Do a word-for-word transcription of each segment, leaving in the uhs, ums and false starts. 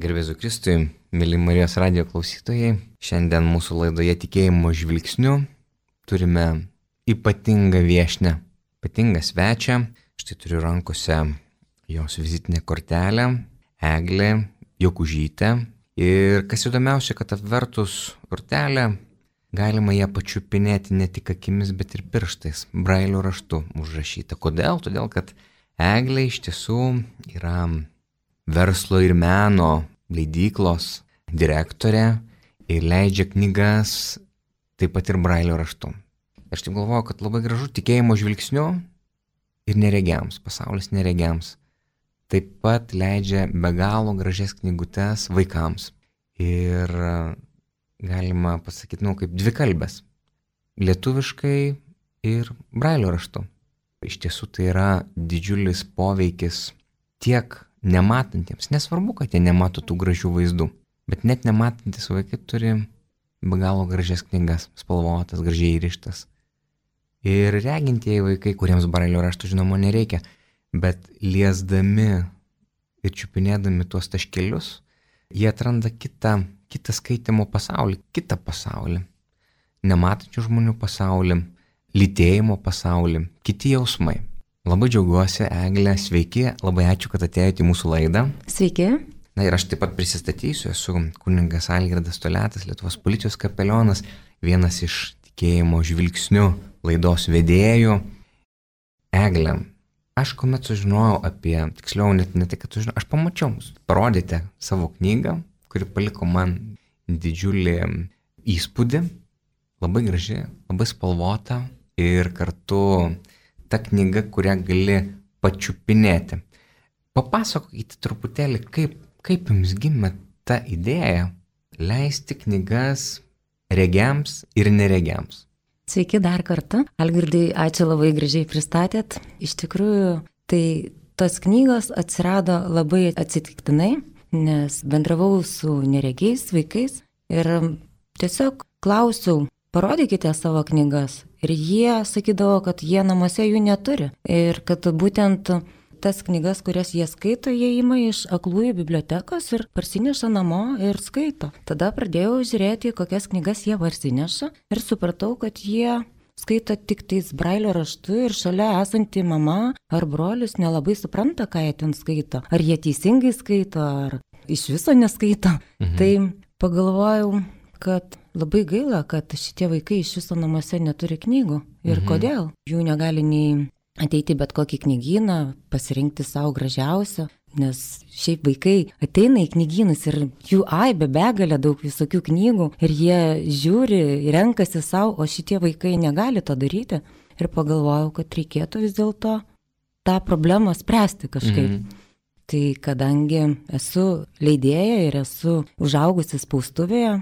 Garbėzu Kristui, mėly Marijos radijo klausytojai, šiandien mūsų laidoje Tikėjimo žvilgsniu turime ypatingą viešnę, ypatingą svečią. Štai turiu rankose jos vizitinę kortelę, Eglė Jokužytė. Ir kas įdomiausia, kad apvertus kortelę galima ją pačiupinėti ne tik akimis, bet ir pirštais, brailio raštu užrašyta. Kodėl? Todėl, kad Eglė iš tiesų yra verslo ir meno leidyklos direktorė ir leidžia knygas taip pat ir brailio raštu. Aš taip galvoju, kad labai gražu tikėjimo žvilgsniu ir neregiams, pasaulis neregiams. Taip pat leidžia be galo gražias knygutes vaikams. Ir galima pasakyti, nu, kaip dvikalbės. Lietuviškai ir brailio raštu. Iš tiesų tai yra didžiulis poveikis tiek nematantiems. Nesvarbu, kad jie nemato tų gražių vaizdų, bet net nematantis vaikai turi be galo gražias knygas, spalvotas, gražiai įrištas. Ir regintieji vaikai, kuriems brailio raštų žinoma nereikia, bet liesdami ir čiupinėdami tuos taškelius, jie atranda kitą, kitą skaitimo pasaulį, kitą pasaulį, nematančių žmonių pasaulį, lytėjimo pasaulį, kiti jausmai. Labai džiaugiuosi, Eglė, sveiki, labai ačiū, kad atėjote į mūsų laidą. Sveiki. Na ir aš taip pat prisistatysiu, esu kunigas Algirdas Toliatas, Lietuvos policijos kapelionas, vienas iš Tikėjimo žvilgsnių laidos vedėjų. Eglė, aš kuomet sužinojau apie, tiksliau net ne tai, kad sužinojau, aš pamačiau, parodėte savo knygą, kuri paliko man didžiulį įspūdį, labai graži, labai spalvota ir kartu ta knyga, kurią gali pačiupinėti. Papasakokite truputėlį, kaip, kaip jums gimė ta idėja leisti knygas regiams ir neregiams. Sveiki dar kartą. Algirdai, ačiū, labai gražiai pristatėt. Iš tikrųjų, tai tos knygos atsirado labai atsitiktinai, nes bendravau su neregiais vaikais ir tiesiog klausiau, parodykite savo knygas. Ir jie sakydavo, kad jie namuose jų neturi. Ir kad būtent tas knygas, kurias jie skaito, jie ima iš aklųjų bibliotekos ir parsineša namo ir skaito. Tada pradėjau žiūrėti, kokias knygas jie parsineša ir supratau, kad jie skaito tik tais brailio raštu ir šalia esanti mama ar brolis nelabai supranta, ką jie ten skaito. Ar jie teisingai skaito, ar iš viso neskaito. Mhm. Tai pagalvojau, kad labai gaila, kad šitie vaikai iš viso namuose neturi knygų. Ir mhm. kodėl? Jų negali nei ateiti bet kokį knygyną, pasirinkti savo gražiausią, nes šiaip vaikai ateina į knygynus ir jų aibė begalė daug visokių knygų ir jie žiūri, renkasi savo, o šitie vaikai negali to daryti. Ir pagalvojau, kad reikėtų vis dėlto tą problemą spręsti kažkaip. Mhm. Tai kadangi esu leidėja ir esu užaugusi spaustuvėje,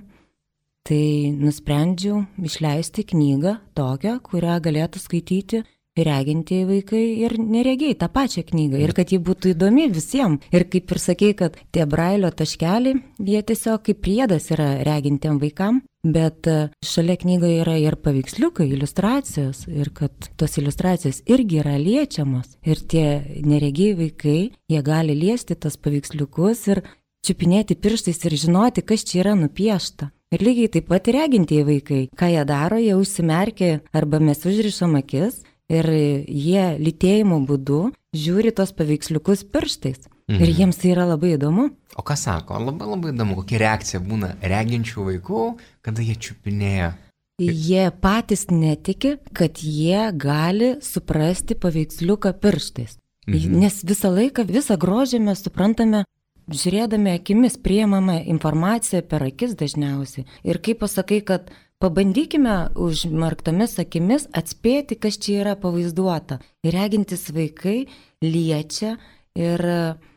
tai nusprendžiau išleisti knygą tokią, kurią galėtų skaityti regintieji vaikai ir neregiai tą pačią knygą. Ir kad ji būtų įdomi visiems. Ir kaip ir sakei, kad tie brailio taškeliai, jie tiesiog kaip priedas yra regintiem vaikam. Bet šalia knygoje yra ir paveiksliukai, iliustracijos. Ir kad tos iliustracijos irgi yra liečiamos. Ir tie neregiai vaikai, jie gali liesti tas paveiksliukus ir čiupinėti pirštais ir žinoti, kas čia yra nupiešta. Ir lygiai taip pat regintieji vaikai, ką jie daro, jie užsimerkia arba mes užrišam akis ir jie lytėjimo būdu žiūri tos paveiksliukus pirštais. Mhm. Ir jiems tai yra labai įdomu. O ką sako? Labai labai įdomu, kokia reakcija būna reginčių vaikų, kada jie čiupinėja. Jie patys netiki, kad jie gali suprasti paveiksliuką pirštais. Mhm. Nes visą laiką, visą grožį mes suprantame žiūrėdami akimis, priimame informaciją per akis dažniausiai. Ir kaip pasakai, kad pabandykime užmerktomis akimis atspėti, kas čia yra pavaizduota. Ir regintis vaikai liečia ir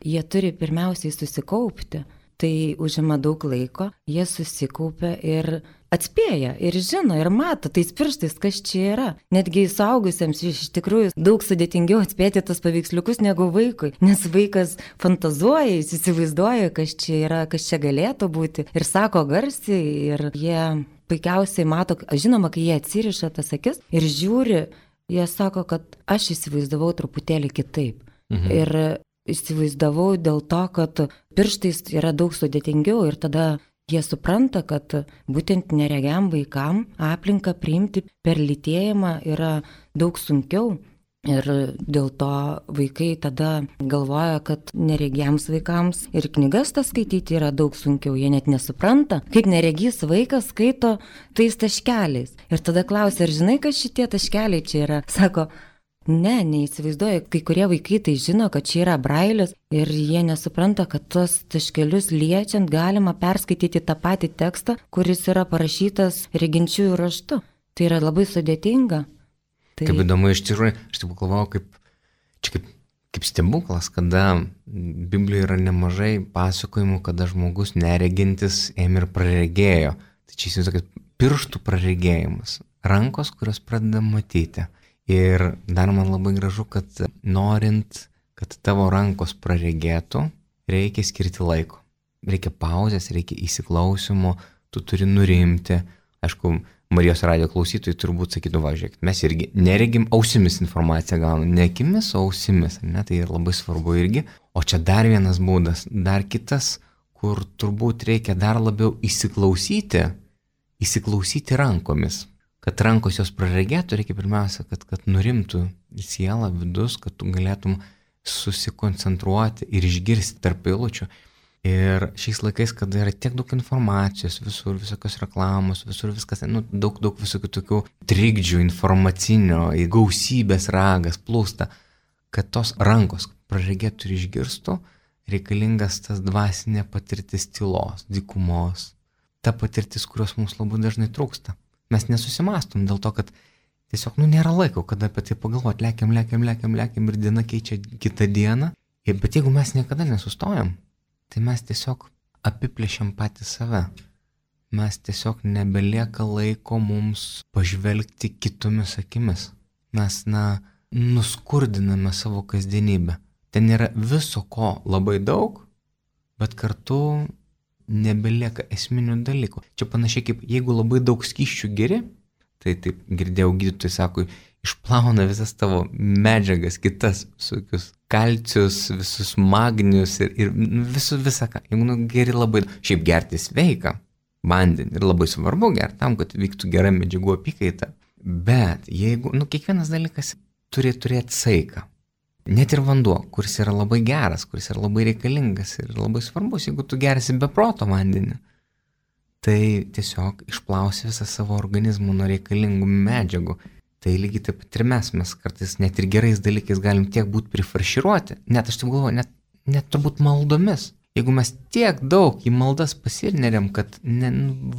jie turi pirmiausiai susikaupti. Tai užima daug laiko, jie susikaupia ir atspėja, ir žino, ir mato tais pirštais, kas čia yra. Netgi suaugusiems iš tikrųjų daug sudėtingiau atspėti tas paveiksliukus negu vaikui, nes vaikas fantazuoja, jis įsivaizduoja, kas čia yra, kas čia galėtų būti, ir sako garsiai, ir jie puikiausiai mato, žinoma, kai jie atsiriša tas akis ir žiūri, jie sako, kad aš įsivaizdavau truputėlį kitaip. Mhm. Ir įsivaizdavau dėl to, kad pirštais yra daug sudėtingiau ir tada jie supranta, kad būtent neregiam vaikam aplinką priimti per lytėjimą yra daug sunkiau. Ir dėl to vaikai tada galvoja, kad neregiams vaikams ir knygas tas skaityti yra daug sunkiau. Jie net nesupranta, kaip neregys vaikas skaito tais taškeliais. Ir tada klausia, ar žinai, kas šitie taškeliai čia yra? Sako, ne, neįsivaizduoju. Kai kurie vaikai tai žino, kad čia yra brailis ir jie nesupranta, kad tuos taškelius liečiant galima perskaityti tą patį tekstą, kuris yra parašytas reginčiųjų raštu. Tai yra labai sudėtinga. Tai... Kaip įdomu, iš tikrųjų, aš taip galvojau, kaip, čia kaip, kaip stebuklas, kada Biblijoje yra nemažai pasakojimų, kada žmogus neregintis ėmė ir praregėjo. Tai čia įsivaizduoju, kad pirštų praregėjimas, rankos, kurios pradeda matyti. Ir dar man labai gražu, kad norint, kad tavo rankos praregėtų, reikia skirti laiko. Reikia pauzės, reikia įsiklausimo, tu turi nurimti. Aišku, Marijos radijo klausytojai turbūt sakytų, va, žiūrėkit, mes irgi neregim ausimis informaciją gaunam, ne akimis, o ausimis, ne, tai labai svarbu irgi. O čia dar vienas būdas, dar kitas, kur turbūt reikia dar labiau įsiklausyti, įsiklausyti rankomis. Kad rankos jos praregėtų, reikia pirmiausia, kad, kad nurimtų siela, vidus, kad tu galėtum susikoncentruoti ir išgirsti tarp eilučių. Ir šiais laikais, kada yra tiek daug informacijos, visur visokios reklamos, visur viskas, nu, daug, daug visokių tokių trikdžių informacinio, gausybės ragas, plūsta, kad tos rankos praregėtų ir išgirstų, reikalingas tas dvasinė patirtis tylos, dykumos, ta patirtis, kurios mums labai dažnai trūksta. Mes nesusimastom dėl to, kad tiesiog, nu, nėra laiko, kada apie tai pagalvoti, lekiam, lekiam, lekiam, lekiam ir diena keičia kitą dieną, bet jeigu mes niekada nesustojam, tai mes tiesiog apiplėšiam patį save. Mes tiesiog nebelieka laiko mums pažvelgti kitomis akimis. Mes, na, nuskurdiname savo kasdienybę. Ten yra viso ko labai daug, bet kartu nebelieka esminių dalykų. Čia panašiai kaip jeigu labai daug skysčių geri, tai taip girdėjau gydytojai sako, išplauna visas tavo medžiagas, kitas visokius kalcius, visus magnius ir, ir visu, visą ką. Jeigu nu, geri labai, šiaip gerti sveiką vandenį ir labai svarbu gerti tam, kad vyktų gera medžiagų apykaita. Bet jeigu, nu, kiekvienas dalykas turi turėti saiką. Net ir vanduo, kuris yra labai geras, kuris yra labai reikalingas ir labai svarbus, jeigu tu gersi be proto vandenį, tai tiesiog išplausi visą savo organizmą nuo reikalingų medžiagų. Tai lygiai taip pat ir mes, mes kartais net ir gerais dalykais galim tiek būti prifarširuoti, net aš taip galvoju, net, net turbūt maldomis. Jeigu mes tiek daug į maldas pasirneriam, kad ne,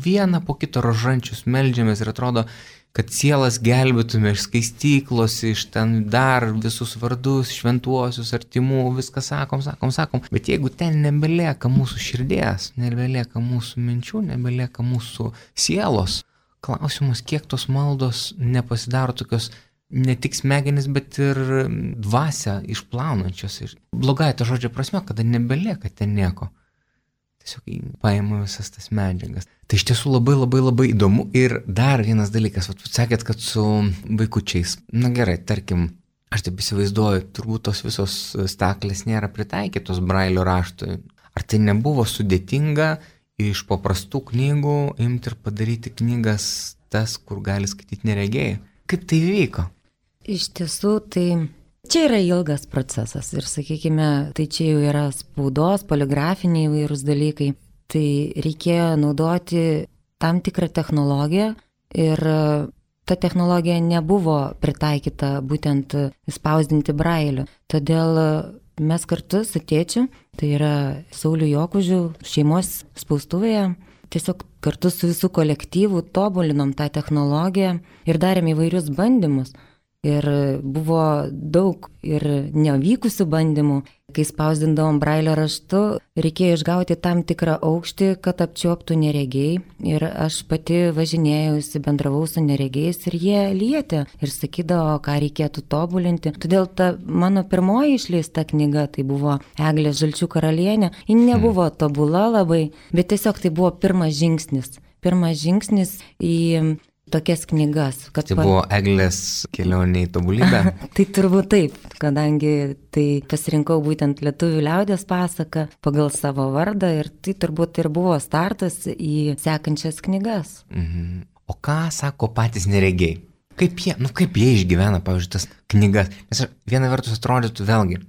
vieną po kito rožančius meldžiamės ir atrodo, kad sielas gelbėtume iš skaistyklos, iš ten dar visus vardus, šventuosius, artimų, viską sakom, sakom, sakom. Bet jeigu ten nebelieka mūsų širdies, nebelieka mūsų minčių, nebelieka mūsų sielos, klausimas, kiek tos maldos nepasidaro tokios ne tik smegenis, bet ir dvasią išplaunančios. Ir blogai to žodžio prasme, kada nebelieka ten nieko. Tiesiog paima visas tas medžiagas. Tai iš tiesų labai labai labai įdomu. Ir dar vienas dalykas, vat, sakėt, kad su vaikučiais, na gerai, tarkim, aš taip įsivaizduoju, turbūt tos visos staklės nėra pritaikytos brailio raštui. Ar tai nebuvo sudėtinga iš paprastų knygų imti ir padaryti knygas tas, kur gali skaityti neregėjai? Kaip tai vyko? Iš tiesų, tai čia yra ilgas procesas ir, sakykime, tai čia jau yra spaudos, poligrafiniai įvairūs dalykai. Tai reikėjo naudoti tam tikrą technologiją ir ta technologija nebuvo pritaikyta būtent spausdinti brailiu. Todėl mes kartu su tėčiu, tai yra Sauliu Jokužiu, šeimos spaustuvėje, tiesiog kartu su visų kolektyvu tobulinom tą technologiją ir darėm įvairius bandymus. Ir buvo daug ir nevykusių bandymų. Kai spausdindavom brailio raštu, reikėjo išgauti tam tikrą aukštį, kad apčiuoptų neregiai. Ir aš pati važinėjausi, bendravau su neregiais ir jie lietė ir sakydavo, ką reikėtų tobulinti. Todėl ta mano pirmoji išleista knyga, tai buvo Eglė Žalčių karalienė, ji nebuvo tobula labai, bet tiesiog tai buvo pirmas žingsnis. Pirmas žingsnis į tokias knygas. Kad tai buvo Eglės kelionė į tobulybę? Tai turbūt taip, kadangi tai pasirinkau būtent lietuvių liaudies pasaką pagal savo vardą ir tai turbūt ir buvo startas į sekančias knygas. Mhm. O ką sako patys neregiai? Kaip jie, nu kaip jie išgyvena, pavyzdžiui, tas knygas? Nes viena vertus atrodytų vėlgi,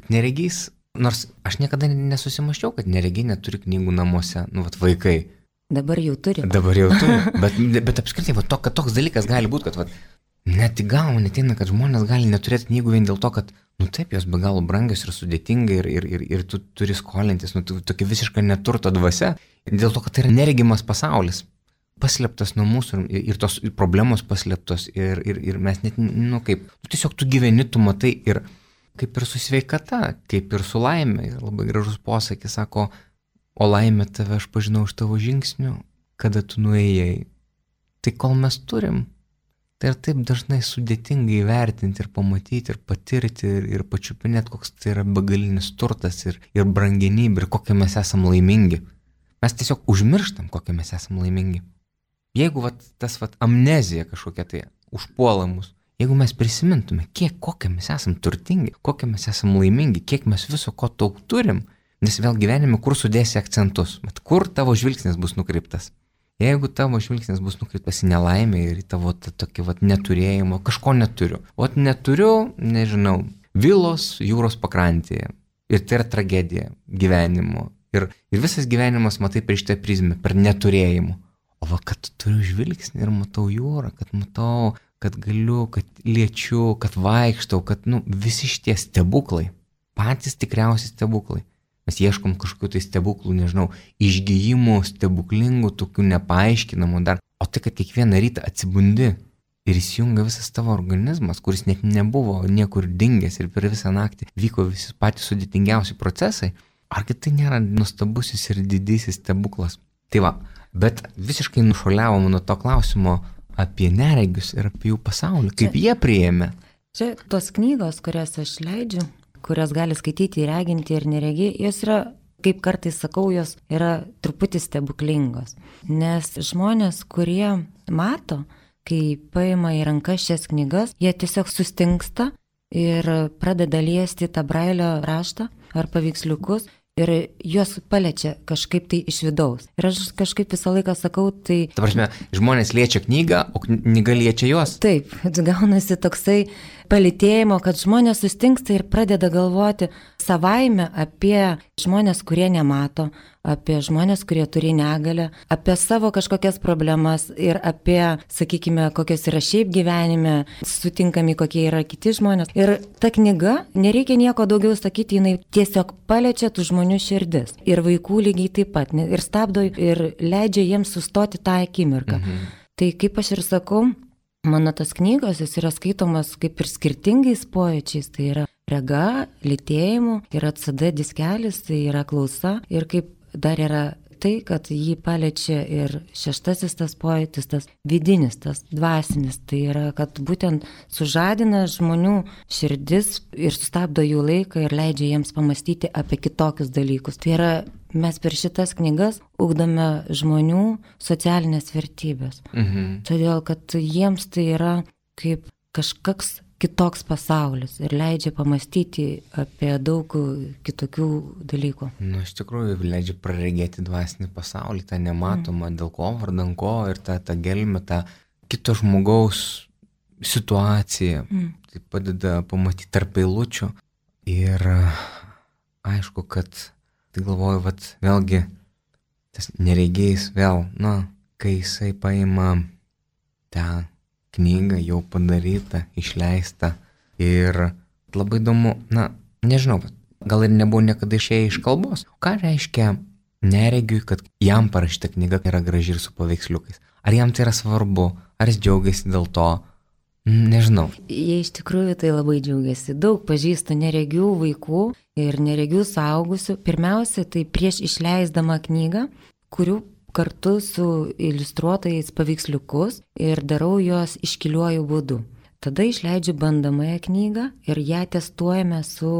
juk neregiais, nors aš niekada nesusimaščiau, kad neregiai neturi knygų namuose, nu vat vaikai. Dabar jau turi. Dabar jau turi, bet, bet apskritai, va, to, kad toks dalykas gali būti, kad va, net į galvą neteina, kad žmonės gali neturėti knygų vien dėl to, kad, nu taip, jos be galo brangios ir sudėtingai ir, ir, ir, ir tu turi skolintis, nu tokia visiška neturto dvasia, dėl to, kad tai yra neregimas pasaulis, paslėptas nuo mūsų ir, ir tos problemos paslėptos ir, ir, ir mes net, nu kaip, tu tiesiog tu gyveni, tu matai ir kaip ir su sveikata, kaip ir su laime, ir labai gražus posakis, sako, o laimė tave aš pažinau iš tavo žingsnių, kada tu nuėjai. Tai kol mes turim, tai ir taip dažnai sudėtingai įvertinti ir pamatyti ir patirti ir, ir pačiupinėti, koks tai yra begalinis turtas ir, ir brangenybė ir kokie mes esam laimingi. Mes tiesiog užmirštam, kokie mes esam laimingi. Jeigu vat, tas vat, amnezija kažkokia tai užpuola mus, jeigu mes prisimintume, kiek kokie mes esam turtingi, kokie mes esam laimingi, kiek mes viso ko daug turim, nes vėl gyvenime, kur sudėsi akcentus, bet kur tavo žvilgsnis bus nukreiptas. Jeigu tavo žvilgsnis bus nukreiptas į nelaimę ir į tavo tokį vat, neturėjimą, kažko neturiu. O neturiu, nežinau, vilos jūros pakrantėje. Ir tai yra tragedija gyvenimo. Ir, ir visas gyvenimas matai per šitą prizmę, per neturėjimą. O va, kad turiu žvilgsnį ir matau jūrą, kad matau, kad galiu, kad liečiu, kad vaikštau, kad nu, visi šitie stebuklai, patys tikriausiai stebuklai. Mes ieškom kažkokių tai stebuklų, nežinau, išgijimų, stebuklingų, tokių nepaaiškinamų dar. O tai, kad kiekvieną rytą atsibundi ir įsijungia visas tavo organizmas, kuris net nebuvo niekur dingęs ir per visą naktį vyko visi patys sudėtingiausi procesai, argi tai nėra nuostabusis ir didysis stebuklas? Tai va, bet visiškai nušuoliavom nuo to klausimo apie neregius ir apie jų pasaulį, kaip čia, jie priėmė. Čia tos knygos, kurias aš leidžiu, kurias gali skaityti ir reginti ir neregiai, jos yra, kaip kartais sakau, jos yra truputį stebuklingos. Nes žmonės, kurie mato, kai paima į rankas šias knygas, jie tiesiog sustingsta ir pradeda liesti tą brailio raštą ar paveiksliukus ir juos paliečia kažkaip tai iš vidaus. Ir aš kažkaip visą laiką sakau, tai... Ta prasme, žmonės liečia knygą, o knyga liečia juos? Taip, gaunasi toksai palytėjimo, kad žmonės sustingsta ir pradeda galvoti savaime apie žmonės, kurie nemato, apie žmonės, kurie turi negalią, apie savo kažkokias problemas ir apie, sakykime, kokios yra šiaip gyvenime, sutinkami, kokie yra kiti žmonės. Ir ta knyga, nereikia nieko daugiau sakyti, jinai tiesiog paliečia tų žmonių širdis. Ir vaikų lygiai taip pat. Ir stabdo ir leidžia jiems sustoti tą akimirką. Mhm. Tai kaip aš ir sakau, mano tas knygos, jis yra skaitomas kaip ir skirtingais pojūčiais, tai yra rega, lytėjimu, yra C D diskelis, tai yra klausa ir kaip dar yra tai, kad jį paliečia ir šeštasis tas pojūtis, tas vidinis, tas dvasinis, tai yra, kad būtent sužadina žmonių širdis ir sustabdo jų laiką ir leidžia jiems pamastyti apie kitokius dalykus. Tai yra, mes per šitas knygas ugdome žmonių socialinės vertybės. Mhm. Todėl, kad jiems tai yra kaip kažkoks kitoks pasaulis ir leidžia pamastyti apie daug kitokių dalykų. Nu, iš tikrųjų, leidžia praregėti dvasinį pasaulį, tą nematomą, mm. dėl ko, vardan ko ir tą, tą gelmę, tą kito žmogaus situaciją. Mm. Tai padeda pamatyti tarp eilučių. Ir aišku, kad, tai galvoju, vat, vėlgi, tas neregiais vėl, na, kai jisai paima tą knygą jau padaryta, išleista ir labai įdomu, na, nežinau, gal ir nebuvo niekada išėję iš kalbos. Ką reiškia neregiui, kad jam parašyta knyga yra graži ir su paveiksliukais? Ar jam tai yra svarbu? Ar jis džiaugiasi dėl to? Nežinau. Jie iš tikrųjų tai labai džiaugiasi. Daug pažįstu neregių vaikų ir neregių suaugusių. Pirmiausia, tai prieš išleisdama knygą, kurių kartu su iliustruotais paveiksliukus ir darau juos iškiliuoju būdu. Tada išleidžiu bandomąją knygą ir ją testuojame su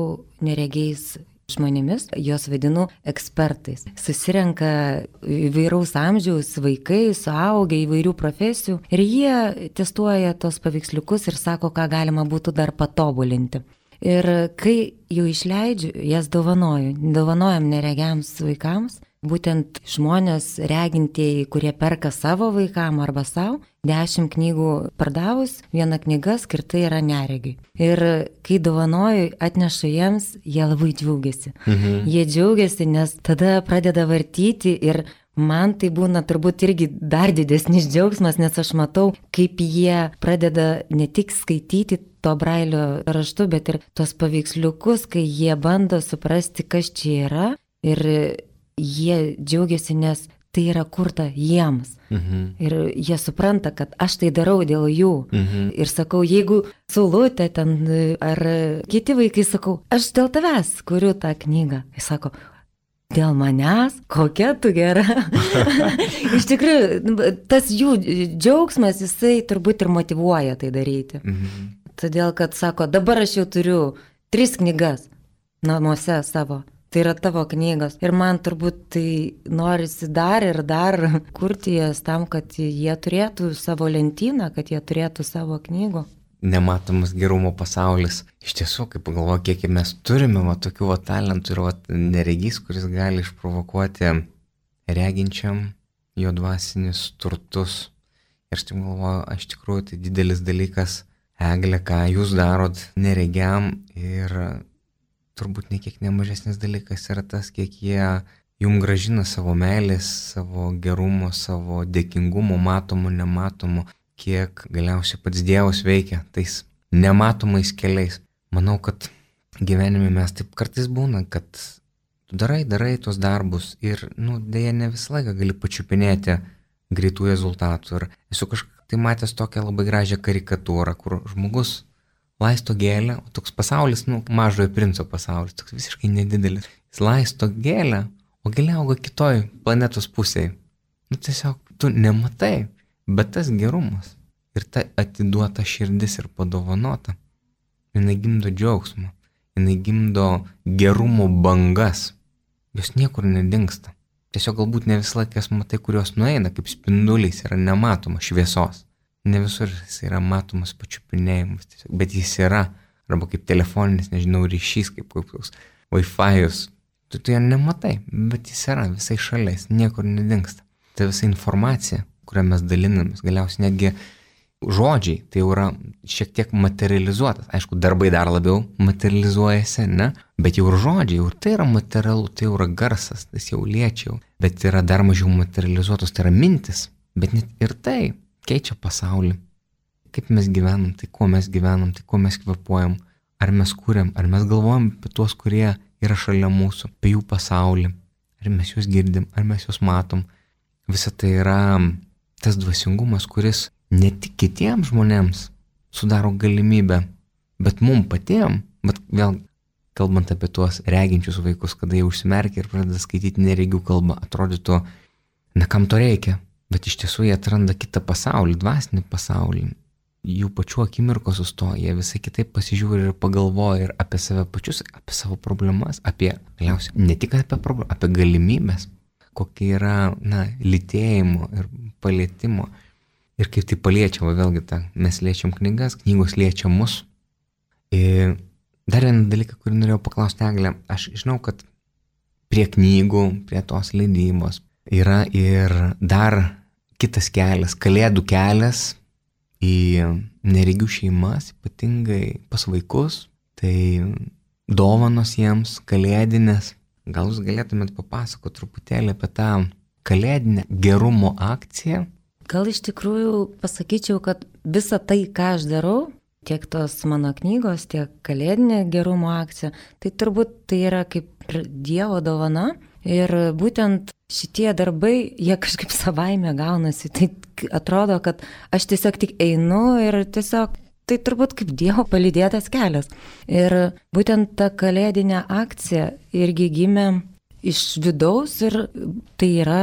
neregiais žmonėmis, juos vadinu ekspertais. Susirenka įvairaus amžiaus vaikai, suaugę įvairių profesijų ir jie testuoja tos paveiksliukus ir sako, ką galima būtų dar patobulinti. Ir kai jau išleidžiu, jas dovanoju. Dovanojam neregiams vaikams, būtent žmonės regintieji, kurie perka savo vaikam arba savo, dešimt knygų pardavus, viena knyga skirta yra neregiui. Ir kai dovanoju, atnešu jiems, jie labai džiaugiasi. Mhm. Jie džiaugiasi, nes tada pradeda vartyti ir man tai būna turbūt irgi dar didesnis džiaugsmas, nes aš matau, kaip jie pradeda ne tik skaityti to brailio raštu, bet ir tos paveiksliukus, kai jie bando suprasti, kas čia yra ir jie džiaugiasi, nes tai yra kurta jiems. Mhm. Ir jie supranta, kad aš tai darau dėl jų. Mhm. Ir sakau, jeigu Saulutė ten ar kiti vaikai, sakau, aš dėl tavęs kuriu tą knygą. Jis sako, dėl manęs, kokia tu gera. Iš tikrųjų, tas jų džiaugsmas, jisai turbūt ir motyvuoja tai daryti. Mhm. Todėl, kad sako, dabar aš jau turiu tris knygas namuose savo. Tai yra tavo knygos. Ir man turbūt tai norisi dar ir dar kurti jas tam, kad jie turėtų savo lentyną, kad jie turėtų savo knygų. Nematomas gerumo pasaulis. Iš tiesų, kaip pagalvoju, kiek mes turime va, tokių va, talentų ir va, neregys, kuris gali išprovokuoti reginčiam jo dvasinius turtus. Ir aš taip galvoju, aš tikrųjų tai didelis dalykas, Eglė, ką jūs darot neregiam ir turbūt nekiek nemažesnis dalykas yra tas, kiek jie jum gražina savo meilės, savo gerumo, savo dėkingumo, matomo, nematomo, kiek galiausiai pats Dievas veikia tais nematomais keliais. Manau, kad gyvenime mes taip kartais būna, kad tu darai, darai tos darbus ir, nu, dėja ne visą laiką gali pačiupinėti greitų rezultatų. Ir esu kažkaip tai matęs tokią labai gražią karikatūrą, kur žmogus laisto gėlę, o toks pasaulis, nu, mažojo princo pasaulis, toks visiškai nedidelis. Jis laisto gėlę, o gėlė auga kitoj planetos pusėje. Nu, tiesiog tu nematai, bet tas gerumas ir ta atiduota širdis ir padovanota, jinai gimdo džiaugsmą, jinai gimdo gerumo bangas, jos niekur nedingsta. Tiesiog galbūt ne visą laiką jas matai, kurios nueina, kaip spinduliais yra nematoma šviesos. Ne visur jis yra matomas pačiupinėjimas, tiesiog, bet jis yra, arba kaip telefoninis, nežinau, ryšys, kaip kokius Wi-Fi'us. Tu tai jo nematai, bet jis yra visai šalia, jis niekur nedingsta. Tai visa informacija, kurią mes dalinamės, galiausiai netgi žodžiai, tai jau yra šiek tiek materializuotas. Aišku, darbai dar labiau materializuojasi, ne? Bet jau ir žodžiai, jau tai yra materialu, tai jau yra garsas, tas jau liečiau. Bet yra dar mažiau materializuotos, tai yra mintis. Bet net ir tai keičia pasaulį. Kaip mes gyvenam, tai kuo mes gyvenam, tai kuo mes kvėpuojam. Ar mes kūrėm, ar mes galvojam apie tuos, kurie yra šalia mūsų, apie jų pasaulį. Ar mes juos girdim, ar mes juos matom. Visa tai yra tas dvasingumas, kuris ne tik kitiems žmonėms sudaro galimybę, bet mum patiem, bet vėl kalbant apie tuos reginčius vaikus, kada jie užsimerkia ir pradeda skaityti neregių kalbą, atrodytų, na kam to reikia, bet iš tiesų jie atranda kitą pasaulį, dvasinį pasaulį, jų pačių akimirkos sustoja, jie visai kitaip pasižiūri ir pagalvoja ir apie save pačius, apie savo problemas, apie, galiausiai, ne tik apie problemas, apie galimybės, kokie yra, na, lytėjimo ir palietimo. Ir kaip tai paliečia, va vėlgi tą, mes liečiam knygas, knygos liečia mus. Ir dar vieną dalyką, kurį norėjau paklausti Eglę, aš žinau, kad prie knygų, prie tos leidybos yra ir dar kitas kelias, kalėdų kelias į neregių šeimas, ypatingai pas vaikus, tai dovanos jiems, kalėdinės. Gal jūs galėtumėt papasakoti truputėlį apie tą kalėdinę gerumo akciją? Gal iš tikrųjų pasakyčiau, kad visa tai, ką aš darau, tiek tos mano knygos, tiek kalėdinė gerumo akcija, tai turbūt tai yra kaip Dievo dovana. Ir būtent šitie darbai, jie kažkaip savaime gaunasi. Tai atrodo, kad aš tiesiog tik einu ir tiesiog tai turbūt kaip Dievo palydėtas kelias. Ir būtent ta kalėdinė akcija irgi gimė iš vidaus ir tai yra,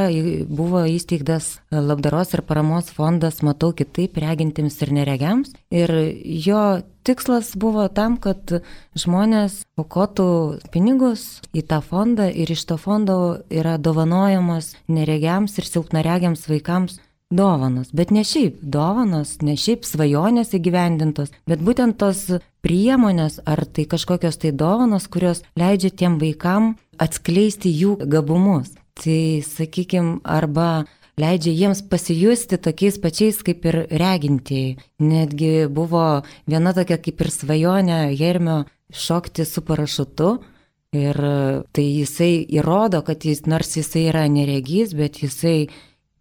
buvo įsteigtas labdaros ir paramos fondas Matau kitaip regintiems ir neregiams. Ir jo tikslas buvo tam, kad žmonės aukotų pinigus į tą fondą ir iš to fondo yra dovanojamos neregiams ir silpnaregiams vaikams dovanos, bet ne šiaip dovanos, ne šiaip svajonės įgyvendintos, bet būtent tos priemonės ar tai kažkokios tai dovanos, kurios leidžia tiem vaikam atskleisti jų gabumus. Tai, sakykime, arba leidžia jiems pasijusti tokiais pačiais kaip ir regintieji. Netgi buvo viena tokia kaip ir svajonė Hermio šokti su parašutu. Ir tai jisai įrodo, kad jis, nors jisai yra neregys, bet jisai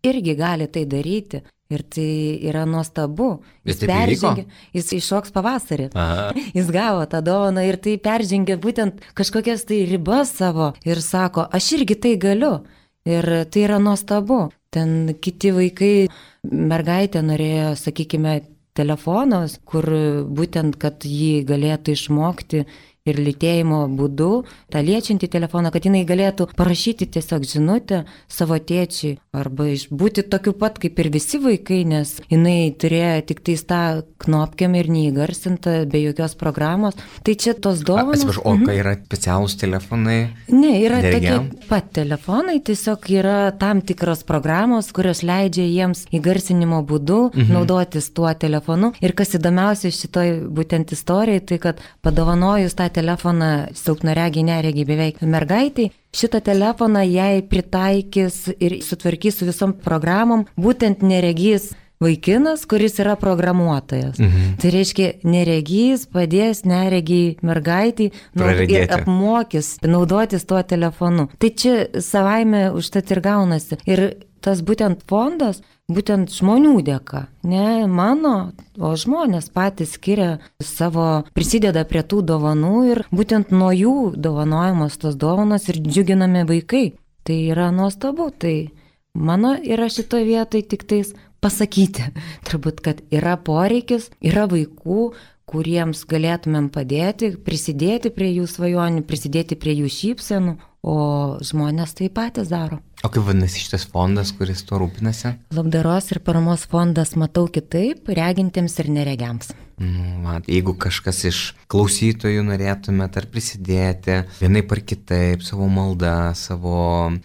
irgi gali tai daryti ir tai yra nuostabu. Jis peržengė, jis iššoks pavasarį. Aha. Jis gavo tą dovaną ir tai peržengė būtent kažkokias tai ribas savo ir sako, aš irgi tai galiu. Ir tai yra nuostabu. Ten kiti vaikai, mergaitė norėjo, sakykime, telefonos, kur būtent, kad jį galėtų išmokti ir lytėjimo būdu, tą liečiantį telefoną, kad jinai galėtų parašyti tiesiog žinutę savo tėčiui arba būti tokiu pat kaip ir visi vaikai, nes jinai turėjo tik tais tą knopkę ir neįgarsintą be jokios programos. Tai čia tos dovanos. Atsiprašau, o kai yra specialūs telefonai? Ne, yra neregiam? Tokie pat telefonai, tiesiog yra tam tikros programos, kurios leidžia jiems įgarsinimo būdu mhm. naudotis tuo telefonu. Ir kas įdomiausia šitoj būtent istorijai, tai kad padovanojus tą telefoną silpnaregiai, neregiai beveik mergaitai, šitą telefoną jai pritaikys ir sutvarkys su visom programom būtent neregys vaikinas, kuris yra programuotojas. Mhm. Tai reiškia, neregys padės neregiai mergaitai ir apmokys naudotis tuo telefonu. Tai čia savaime užtat ir gaunasi. Ir tas būtent fondas, būtent žmonių dėka, ne mano, o žmonės patys skiria savo, prisideda prie tų dovanų ir būtent nuo jų dovanojamos tos dovanos ir džiuginami vaikai. Tai yra nuostabu, tai mano yra šitoje vietoje tik tais pasakyti, turbūt, kad yra poreikis, yra vaikų, kuriems galėtumėm padėti, prisidėti prie jų svajonių, prisidėti prie jų šypsenų, o žmonės tai patys daro. O kaip vadinasi šitas fondas, kuris tuo rūpinasi? Labdaros ir paramos fondas Matau kitaip, regintiems ir neregiams. Nu, va, jeigu kažkas iš klausytojų norėtumėt ar prisidėti vienaip ar kitaip, savo maldą, savo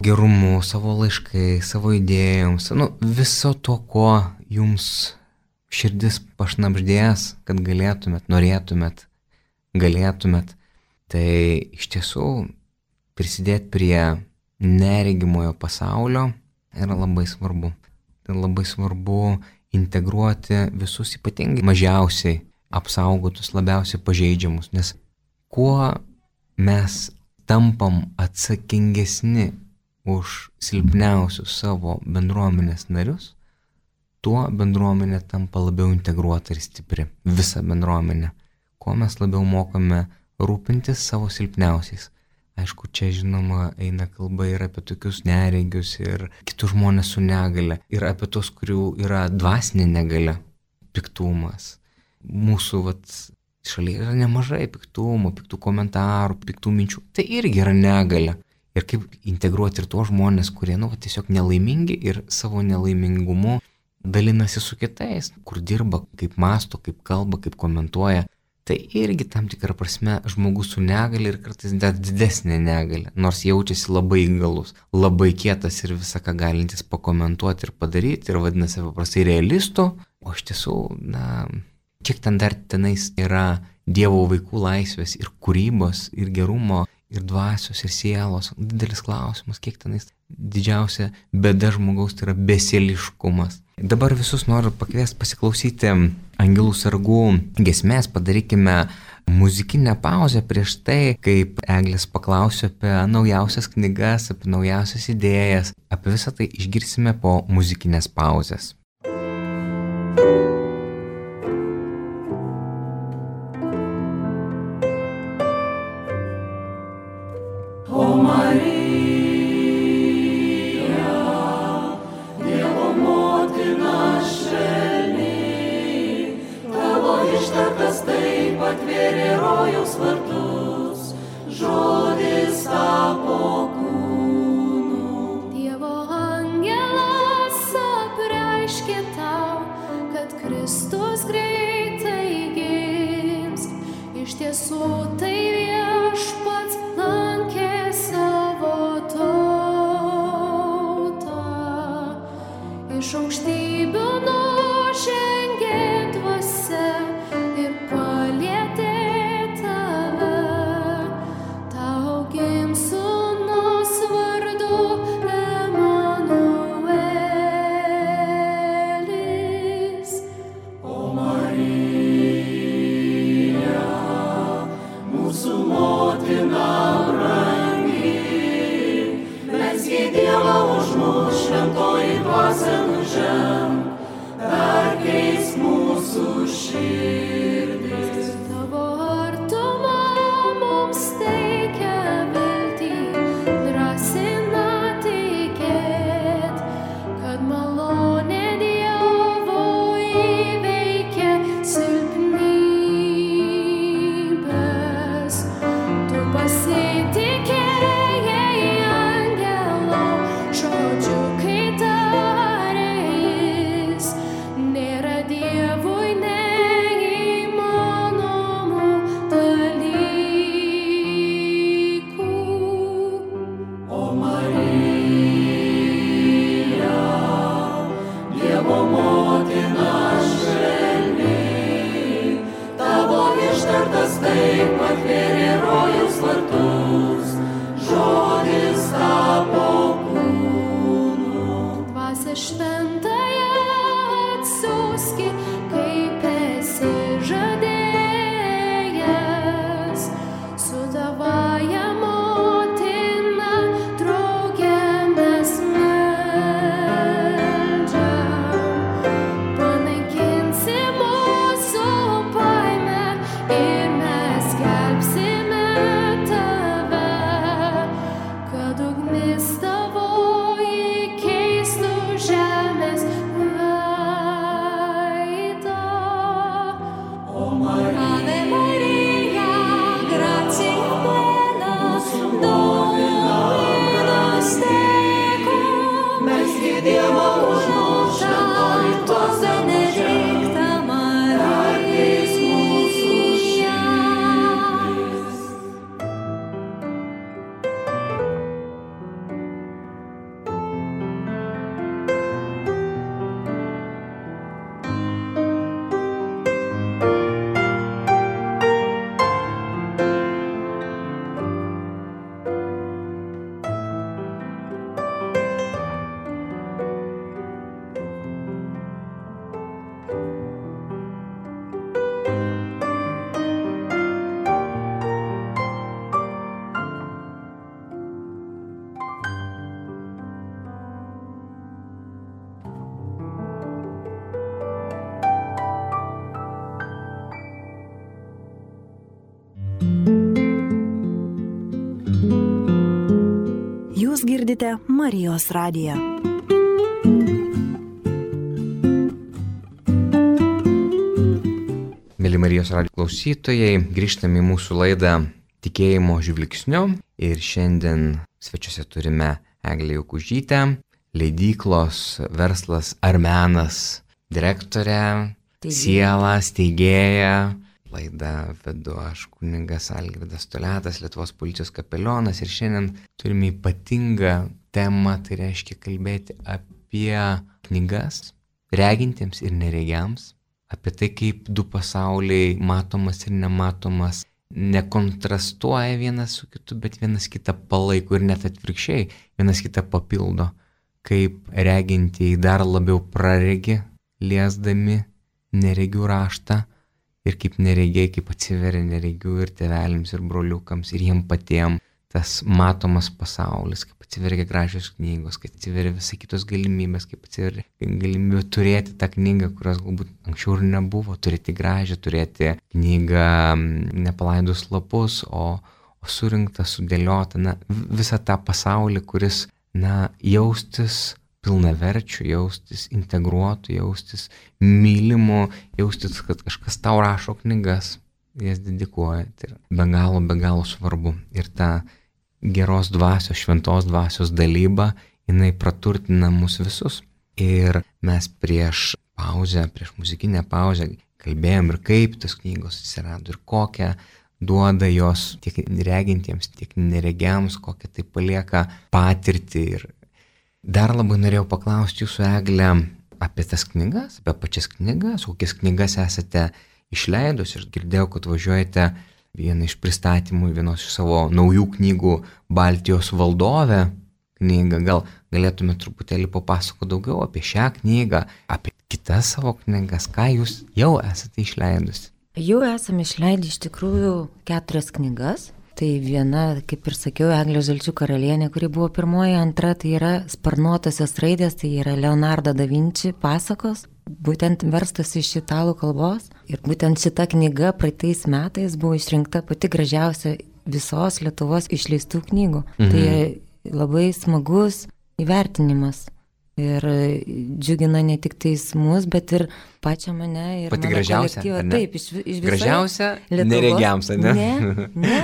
gerumu, savo laiškai, savo idėjoms, nu, viso to, ko jums širdis pašnabždės, kad galėtumėt, norėtumėt, galėtumėt, tai iš tiesų prisidėti prie neregimojo pasaulio yra labai svarbu. Tai labai svarbu integruoti visus ypatingai mažiausiai apsaugotus, labiausiai pažeidžiamus, nes kuo mes tampam atsakingesni už silpniausius savo bendruomenės narius, tuo bendruomenė tampa labiau integruota ir stipri, visa bendruomenė. Kuo mes labiau mokame rūpintis savo silpniausiais. Aišku, čia žinoma eina kalba ir apie tokius neregius ir kitus žmonės su negale, ir apie tos, kurių yra dvasinė negale, piktumas. Mūsų vat, šalyje yra nemažai piktumo, piktų komentarų, piktų minčių. Tai irgi yra negale. Ir kaip integruoti ir tuos žmonės, kurie nu, tiesiog nelaimingi ir savo nelaimingumu dalinasi su kitais, kur dirba, kaip mąsto, kaip kalba, kaip komentuoja. Tai irgi tam tikrą prasme žmogus su negali ir kartais dar didesnė negali, nors jaučiasi labai įgalus, labai kietas ir visą ką galintis pakomentuoti ir padaryti ir vadinasi paprastai realistu, o iš tiesų, na, kiek ten dar tenais yra Dievo vaikų laisvės ir kūrybos ir gerumo ir dvasios ir sielos, didelis klausimas, kiek tenais didžiausia bėda žmogaus tai yra besėliškumas. Dabar visus noriu pakviesti pasiklausyti Angelų sargų giesmės, padarykime muzikinę pauzę prieš tai, kaip Eglės paklausiu apie naujausias knygas, apie naujausias idėjas, apie visą tai išgirsime po muzikinės pauzės. Atvėrė rojaus vartus, žodis tapo kūnu. Jūs girdite Marijos radiją. Mėly Marijos radijo klausytojai, grįžtame į mūsų laidą Tikėjimo žvilgsniu ir šiandien svečiuose turime Eglę Jokužytę, leidyklos Verslas ar menas direktorę, sielą, steigėją. Laidą vedu aš, kunigas Algirdas Toliatas, Lietuvos policijos kapelionas, ir šiandien turime ypatingą temą, tai reiškia kalbėti apie knygas regintiems ir neregiams, apie tai, kaip du pasauliai, matomas ir nematomas, nekontrastuoja vienas su kitu, bet vienas kitą palaiko ir net atvirkščiai vienas kitą papildo, kaip regintieji dar labiau praregi, liesdami neregių raštą, ir kaip neregiai, kaip atsiveria neregių ir tėveliams, ir broliukams, ir jiem patiem tas matomas pasaulis, kaip atsiveria gražios knygos, kaip atsiveria visai kitos galimybės, kaip atsiveria galimybė turėti tą knygą, kurios galbūt anksčiau ir nebuvo, turėti gražią, turėti knygą nepalaidus lapus, o, o surinktą, sudėliotą, na, visą tą pasaulį, kuris, na, jaustis pilnaverčių, jaustis integruotų, jaustis mylimu, jaustis, kad kažkas tau rašo knygas, jas dedikuoja. Tai be galo, be galo svarbu. Ir ta geros dvasios, šventos dvasios dalyba, jinai praturtina mus visus. Ir mes prieš pauzę, prieš muzikinę pauzę kalbėjom ir kaip tos knygos atsirado ir kokią duoda jos tiek regintiems, tiek neregiams, kokią tai palieka patirtį ir Dar labai norėjau paklausti jūsų, Egle, apie tas knygas, apie pačias knygas, kokias knygas esate išleidus ir girdėjau, kad važiuojate vieną iš pristatymų, vienos iš savo naujų knygų Baltijos valdovė knygą. Gal galėtume truputėlį papasakoti daugiau apie šią knygą, apie kitas savo knygas, ką jūs jau esate išleidusi? Jau esame išleidę iš tikrųjų keturias knygas. Tai viena, kaip ir sakiau, Eglė Žalčių karalienė, kuri buvo pirmoji, antra tai yra Sparnuotosios raidės, tai yra Leonardo da Vinci pasakos, būtent verstas iš italų kalbos. Ir būtent šita knyga praeitais metais buvo išrinkta pati gražiausia visos Lietuvos išleistų knygų. Mhm. Tai labai smagus įvertinimas. Ir džiugina ne tik tais mus, bet ir pačią mane ir pati mano gražiausia, kolektyvą. Taip, iš, iš viso gražiausia neregiams, ne? Ne, ne,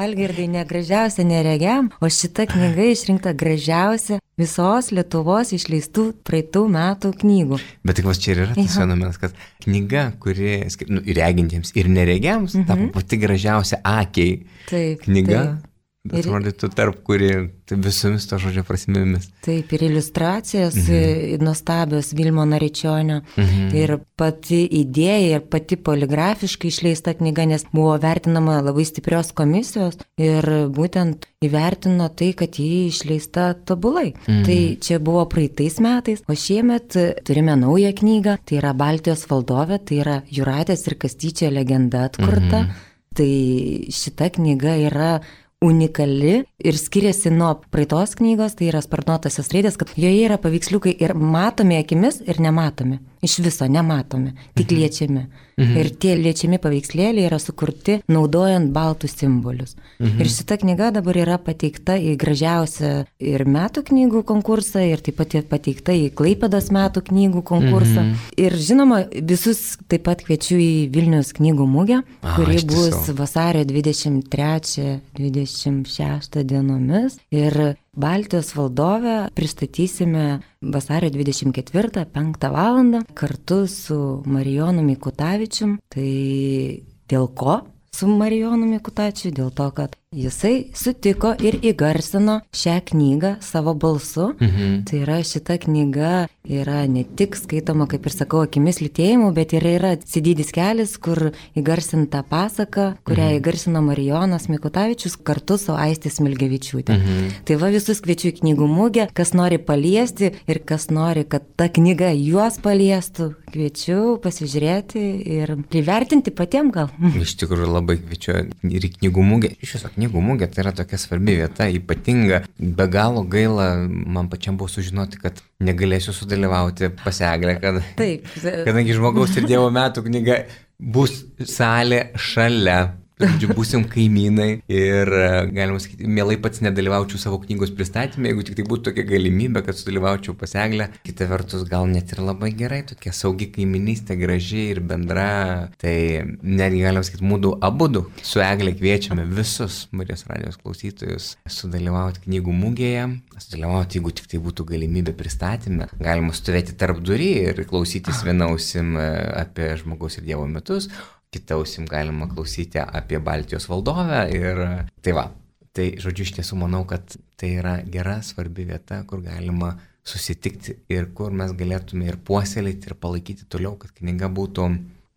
Algirdai, ne gražiausia neregiam, o šita knyga išrinkta gražiausia visos Lietuvos išleistų praeitų metų knygų. Bet tik vas čia ir yra tas fenomenas, kad knyga, kuri nu, ir regintiems, ir neregiams, mhm. tapo pati gražiausia akiai taip, knyga. Taip. Atrodytų tarp, kuri visomis to žodžio prasmėmis. Taip, ir iliustracijos mhm. nuostabios Vilmo Narečionio. Mhm. Ir pati idėja, ir pati poligrafiškai išleista knyga, nes buvo vertinama labai stiprios komisijos ir būtent įvertino tai, kad ji išleista tobulai. Mhm. Tai čia buvo praeitais metais, o šiemet turime naują knygą, tai yra Baltijos valdovė, tai yra Jūratės ir Kastyčio legenda atkurta. Mhm. Tai šita knyga yra unikali ir skiriasi nuo praeitos knygos, tai yra Sparnuotosios raidės, kad joje yra paveiksliukai ir matomi akimis ir nematomi. Iš viso nematomi, tik mhm. liečiami. Mhm. Ir tie liečiami paveikslėliai yra sukurti naudojant baltus simbolius. Mhm. Ir šita knyga dabar yra pateikta į gražiausią ir metų knygų konkursą, ir taip pat pateikta į Klaipėdos metų knygų konkursą. Mhm. Ir žinoma, visus taip pat kviečiu į Vilniaus knygų mugę, ah, kuri bus vasario dvidešimt trečią dvidešimt šeštą dienomis. Ir Baltijos valdovę pristatysime vasario dvidešimt ketvirtą penktą valandą kartu su Marijonu Mikutavičium. Tai dėl ko su Marijonu Mikutavičiu? Dėl to, kad jisai sutiko ir įgarsino šią knygą savo balsu. Mhm. Tai yra šita knyga yra ne tik skaitoma, kaip ir sakau, akimis lytėjimu, bet ir yra C D diskelis, kur įgarsinta pasaka, kurią mhm. įgarsino Marijonas Mikutavičius kartu su Aistė Smilgevičiūtė. Mhm. Tai va, visus kviečiu į knygų mugę, kas nori paliesti ir kas nori, kad ta knyga juos paliestų, kviečiu pasižiūrėti ir įvertinti patiem gal. Iš tikrųjų labai kviečiu ir į knygų mugę. Iš viso knygų mugė tai yra tokia svarbi vieta, ypatinga. Be galo gaila man pačiam buvo sužinoti, kad negalėsiu sudalyvauti pas Eglę, kad, taip, kadangi Žmogaus ir Dievo metų knyga bus salė šalia. Žodžiu, būsim kaimynai ir, galima sakyti, mielai pats nedalyvaučiau savo knygos pristatymė, jeigu tik tai būtų tokia galimybė, kad sudalyvaučiau pas Eglę. Kita vertus, gal net ir labai gerai, tokia saugi kaiminystė, graži ir bendra. Tai netgi, galima sakyti, mūdu abudu su Eglė kviečiame visus Marijos radijos klausytojus sudalyvauti knygų mugėje. Sudalyvauti, jeigu tik tai būtų galimybė pristatymė. Galima stovėti tarp durį ir klausytis viena ausim apie Žmogaus ir Dievo metus. Kita ausim galima klausyti apie Baltijos valdovę ir tai va. Tai, žodžiu, iš tiesų manau, kad tai yra gera, svarbi vieta, kur galima susitikti ir kur mes galėtume ir puoselėti ir palaikyti toliau, kad knyga būtų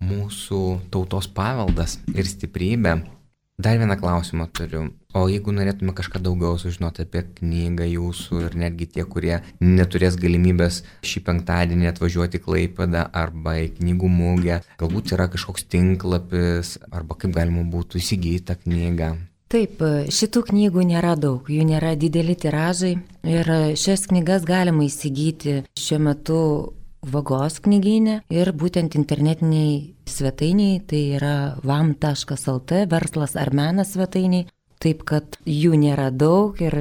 mūsų tautos paveldas ir stiprybė. Dar vieną klausimą turiu. O jeigu norėtume kažką daugiau sužinoti apie knygą jūsų ir netgi tie, kurie neturės galimybės šį penktadienį atvažiuoti į Klaipėdą arba į knygų mugę, galbūt yra kažkoks tinklapis arba kaip galima būtų įsigyti tą knygą? Taip, šitų knygų nėra daug, jų nėra dideli tiražai ir šias knygas galima įsigyti šiuo metu Vagos knygyne ir būtent internetiniai svetainiai, tai yra vam taškas lt, verslas ar menas svetainiai. Taip, kad jų nėra daug ir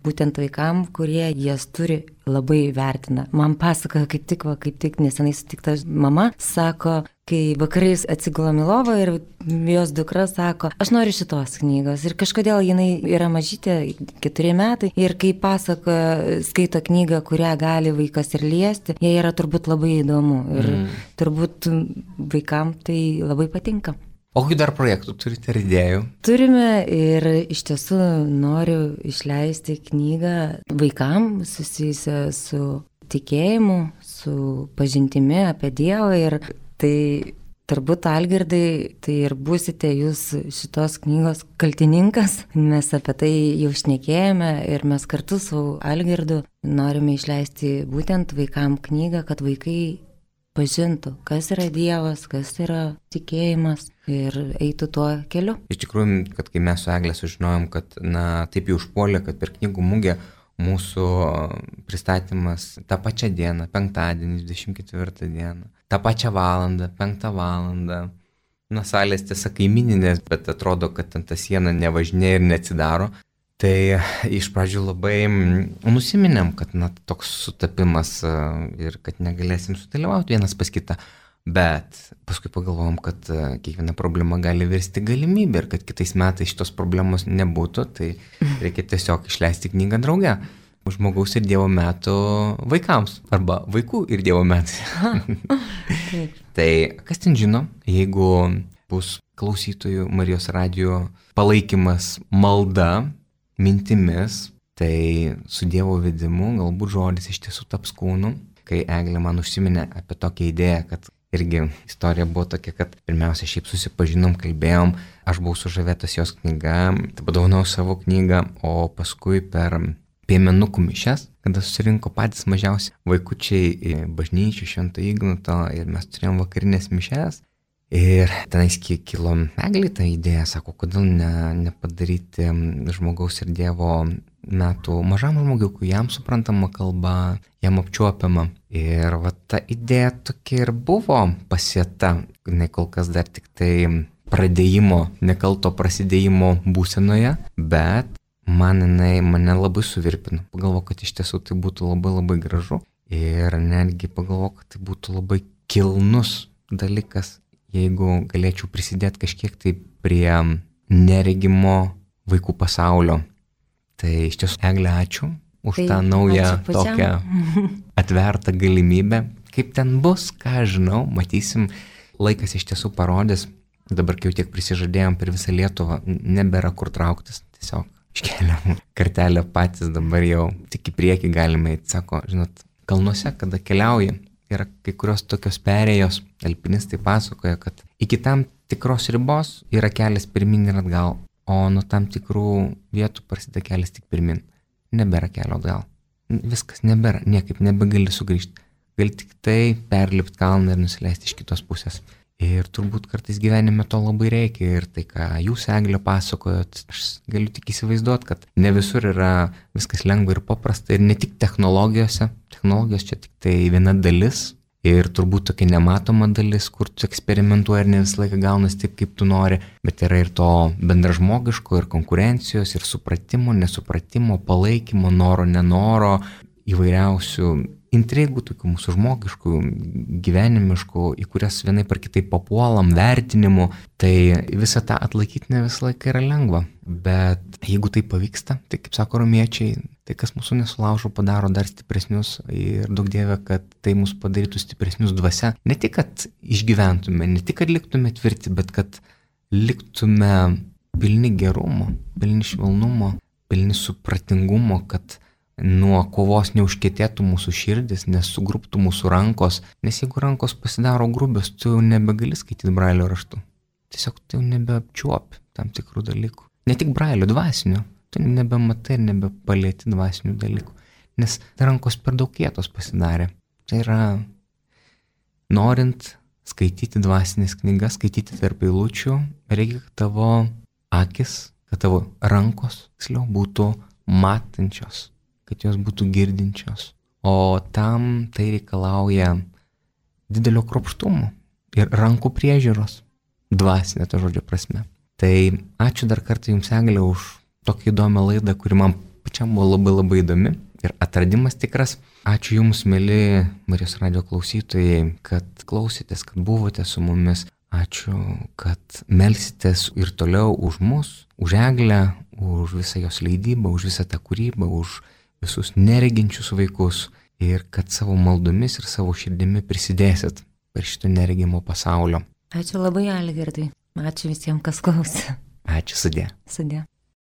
būtent vaikam, kurie jas turi, labai vertina. Man pasakoja, kaip tik, va, kaip tik nesenai sutikta mama, sako, kai vakarais atsigulom į lovą ir jos dukra sako, aš noriu šitos knygos. Ir kažkodėl jinai yra mažytė, keturi metai, ir kai pasakoja, skaito knygą, kurią gali vaikas ir liesti, jai yra turbūt labai įdomu. Ir mm. turbūt vaikam tai labai patinka. O kokių dar projektų turite ir idėjų? Turime ir iš tiesų noriu išleisti knygą vaikam susijusią su tikėjimu, su pažintimi apie Dievą ir tai turbūt, Algirdai, tai ir būsite jūs šitos knygos kaltininkas. Mes apie tai jau šnekėjome ir mes kartu su Algirdu norime išleisti būtent vaikam knygą, kad vaikai pažintų, kas yra Dievas, kas yra tikėjimas ir eitų tuo keliu. Iš tikrųjų, kad kai mes su Egle sužinojom, kad na, taip jau užpuolė, kad per knygų mugę mūsų pristatymas tą pačią dieną, penktadienį, dvidešimt ketvirtą dieną, tą pačią valandą, penktą valandą, na, salės tiesa kaimininės, bet atrodo, kad ant tą sieną nevažinėja ir neatsidaro. Tai iš pradžių labai nusiminėm, kad na, toks sutapimas ir kad negalėsim sudalyvauti vienas pas kitą. Bet paskui pagalvojom, kad kiekviena problema gali virsti galimybę ir kad kitais metais šitos problemos nebūtų, tai reikia tiesiog išleisti knygą drauge. Žmogaus ir Dievo metų vaikams arba vaikų ir Dievo metų. Tai kas ten žino, jeigu bus klausytojų Marijos radijo palaikymas malda, mintimis, tai su Dievo vedimu galbūt žodis iš tiesų taps kūnu. Kai Eglė man užsiminė apie tokią idėją, kad irgi istorija buvo tokia, kad pirmiausia šiaip susipažinom, kalbėjom, aš buvau sužavėtas jos knyga, tai padovanojau savo knygą, o paskui per piemenukų mišias, kada susirinko patys mažiausi vaikučiai į bažnyčių Švento Ignoto ir mes turėjom vakarinės mišias. Ir tenais kilo Eglei ta idėja, sako, kodėl ne, nepadaryti žmogaus ir Dievo metų mažam žmogiukui, jam suprantama kalba, jam apčiuopiama. Ir va ta idėja tokia ir buvo pasieta, ne kol kas dar tik tai pradėjimo, nekalto prasidėjimo būsenoje, bet man jinai mane labai suvirpino. Pagalvoju, kad iš tiesų tai būtų labai labai gražu ir netgi pagalvoju, kad tai būtų labai kilnus dalykas, jeigu galėčiau prisidėti kažkiek tai prie neregimo vaikų pasaulio. Tai iš tiesų, Egle, ačiū už tai, tą naują tokią atvertą galimybę. Kaip ten bus, ką žinau, matysim, laikas iš tiesų parodys. Dabar, kai jau tiek prisižadėjom per visą Lietuvą, nebėra kur trauktis, tiesiog iškeliam kartelę patys, dabar jau tik į priekį galime eiti. Sako, žinot, kalnuose, kada keliauji, yra kai kurios tokios perėjos, alpinistai pasakoja, kad iki tam tikros ribos yra kelias pirmin ir atgal, o nuo tam tikrų vietų prasideda kelias tik pirmin. Nebėra kelio atgal. Viskas nebėra, niekaip nebegali sugrįžti. Gali tik tai perlipti kalną ir nusileisti iš kitos pusės. Ir turbūt kartais gyvenime to labai reikia ir tai, ką jūs, Eglė, pasakojot, aš galiu tik įsivaizduoti, kad ne visur yra viskas lengva ir paprasta ir ne tik technologijose. Technologijos čia tik tai viena dalis ir turbūt tokia nematoma dalis, kur tu eksperimentuoji ir ne visą laiką gaunasi taip, kaip tu nori, bet yra ir to bendražmogiško ir konkurencijos ir supratimo, nesupratimo, palaikymo, noro, nenoro, įvairiausių intrigų, tokių mūsų žmogiškų, gyvenimiškų, į kurias vienaip ar kitaip papuolam, vertinimu, tai visą tą atlaikyti ne visą laiką yra lengva. Bet jeigu tai pavyksta, tai kaip sako romiečiai, tai kas mūsų nesulaužo, padaro dar stipresnius ir daug Dieve, kad tai mus padarytų stipresnius dvasia. Ne tik, kad išgyventume, ne tik, kad liktume tvirti, bet kad liktume pilni gerumo, pilni švelnumo, pilni supratingumo, kad nuo kovos neužkietėtų mūsų širdis, nesugruptų mūsų rankos, nes jeigu rankos pasidaro grubios, tu jau nebegali skaityti brailio raštu. Tiesiog tu jau nebeapčiuopi tam tikrų dalykų. Ne tik brailio, dvasinių. Tu nebematai ir nebepalėti dvasinių dalykų, nes rankos per daug kietos pasidarė. Tai yra, norint skaityti dvasinės knygas, skaityti tarp eilučių, reikia, kad tavo akis, kad tavo rankos, tiksliau, būtų matančios, kad jos būtų girdinčios. O tam tai reikalauja didelio kruopštumo ir rankų priežiūros, dvasinė to žodžio prasme. Tai ačiū dar kartą Jums, Eglė, už tokią įdomią laidą, kuri man pačiam buvo labai labai įdomi ir atradimas tikras. Ačiū Jums, mėly Marijos radijo klausytojai, kad klausėtės, kad buvote su mumis. Ačiū, kad melsitės ir toliau už mus, už Eglę, už visą jos leidybą, už visą tą kūrybą, už visus nereginčius vaikus ir kad savo maldomis ir savo širdimi prisidėsit per šito neregimo pasaulio. Ačiū labai, Algirdai. Ačiū visiems, kas klausė. Ačiū, sudė. Sudė.